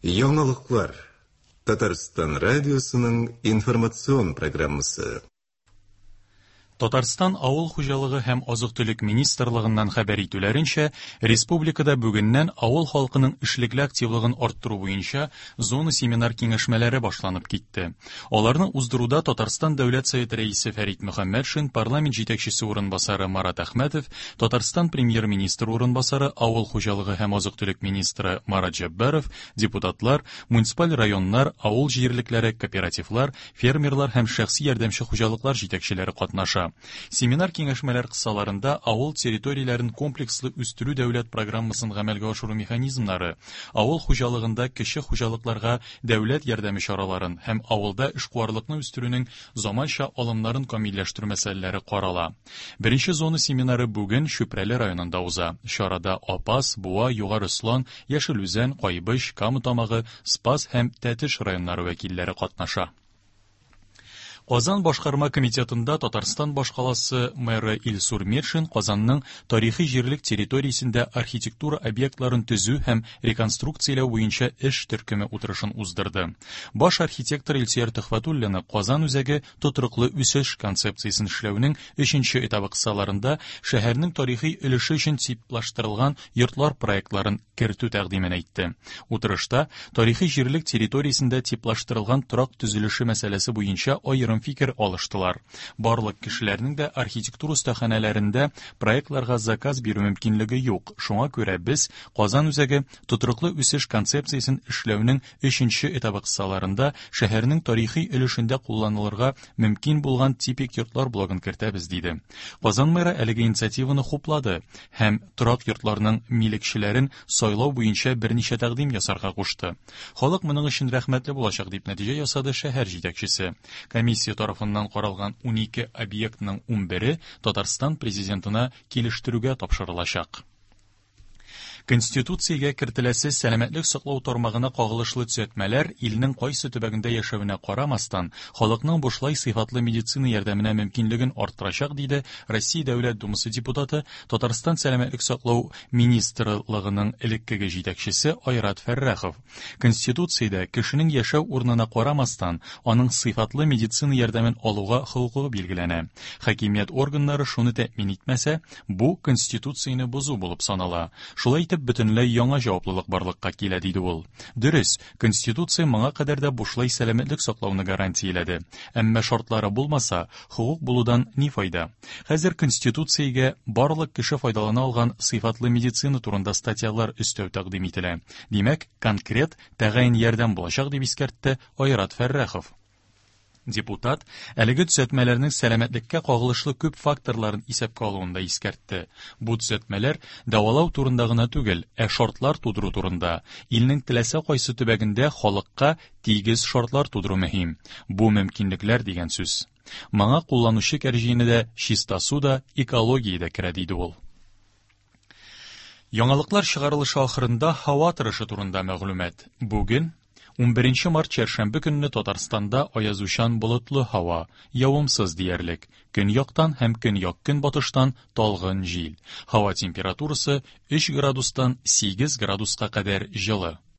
Яңалыклар. Татарстан радиосының информацион программасы. Татарстан Авыл хуҗалыгы һәм азык-төлек министрлыгыннан хәбәр итүләренчә, республикада бүгеннән авыл халкының эшлекле активлыгын арттыру буенча зона семинар-киңәшмәләре башланып китте. Аларны уздыруда Татарстан Дәүләт Советы Рәисе Фәрит Мөхәммәтшин, парламент җитәкчесе урынбасары Марат Әхмәтов, Татарстан Премьер-министры урынбасары, авыл хуҗалыгы һәм азык-төлек министры Марат Җәббаров, депутатлар, муниципаль районнар, авыл җирлекләре, кооперативлар, фермерлар һәм шәхси ярдәмче хуҗалыклар җитәкчеләре катнаша. Семинар-киңәшмәләр кысаларында авыл территорияләрен комплекслы үстерү дәүләт программасын гамәлгә ашыру механизмнары, авыл хуҗалыгында кече хуҗалыкларга дәүләт ярдәме чараларын һәм авылда эшкуарлыкны үстерүнең заманча алымнарын камилләштерү мәсьәләләре карала. Беренче зона семинары бүген Чүпрәле районында уза. Чарада Апас, Буа, Югары Ослан, Яшел Үзән, Кайбыч, Кама Тамагы, Спас һәм Тәтеш районнары вәкилләре катнаша. Казан башкарма комитетында Татарстан башкаласы мэры Илсур Метшин Казанның тарихи җирлек территориясендә архитектура объектларын төзү һәм реконструкцияләү буенча эш төркеме утырышын уздырды. Баш архитектор Илсөяр Төхвәтуллина Казан үзәге тотрыклы үсеш концепциясен эшләүнең өченче этабы кысаларында шәһәрнең тарихи өлеше өчен типлаштырылган йортлар проектларын кертү тәкъдимен әйтте. Утырышта тарихи җирлек территориясендә типлаштырылган торак төзелеше мәсьәләсе буенча аерым фикер алыштылар. Барлык кешеләрнең дә архитектура остаханәләрендә проектларга заказ бирү мөмкинлеге юк. Шуңа күрә без Казан үзәге тотрыклы үсеш концепциясен эшләүнең өченче этабы кысаларында шәһәрнең тарихи өлешендә кулланылырга мөмкин булган типик йортлар блогын кертәбез, диде. Казан мэры әлеге инициативаны хуплады һәм торак йортларның милекчеләрен сайлау буенча берничә тәкъдим ясарга кушты. Халык моның өчен рәхмәтле булачак, дип нәтиҗә ясады шәһәр җитәкчесе. Комиссия тарафыннан каралган 12 объектның 11-е Татарстан Президентына килештерүгә тапшырылачак. Конституциягә кертеләсе сәламәтлек саклау тармагына кагылышлы төзәтмәләр илнең кайсы төбәгендә яшәвенә карамастан, халыкның бушлай сыйфатлы медицина ярдәменә мөмкинлеген арттырачак, диде Россия Дәүләт Думасы депутаты, Татарстан сәламәтлек саклау министрлыгының элеккеге җитәкчесе Айрат Фәррахов. Конституциядә кешенең яшәү урынына карамастан, аның сыйфатлы медицина ярдәмен алуга хокукы билгеләнә. Хакимият органнары шуны тәэмин итмәсә, бу Конституцияне бозу булып санала. Шулай итеп, бөтенләй яңа җаваплылык барлыкка килә, диде ул. Дөрес, Конституция моңа кадәр дә бушлай сәламәтлек саклауны гарантияләде. Әмма шартлары булмаса, хокук булудан ни файда? Хәзер Конституциягә барлык кеше файдалана алган сыйфатлы медицина турында статьялар өстәү тәкъдим ителә. Димәк, конкрет, тәгаен ярдәм булачак, дип искәртте Айрат Фәррахов. Депутат әлеге төзәтмәләрнең сәламәтлеккә кагылышлы күп факторларын исәпкә алуын да искәртте. Бу төзәтмәләр дәвалау турында гына түгел, ә шартлар тудыру турында. Илнең теләсә кайсы төбәгендә халыкка тигез шартлар тудыру мөһим. Бу мөмкинлекләр дигән сүз. Моңа кулланучы кәрҗине дә, чиста су да, экология дә керә, диде ул. Яңалыклар чыгарылышы ахырында һава торышы турында мәгълүмат. Бүген, 11 март чәршәмбе көнне Татарстанда аязучан болытлы һава, явымсыз диярлек. Көньяктан һәм көньяк-көнбатыштан талгын җил. Һава температурасы 3 градустан 8 градуска кадәр җылы.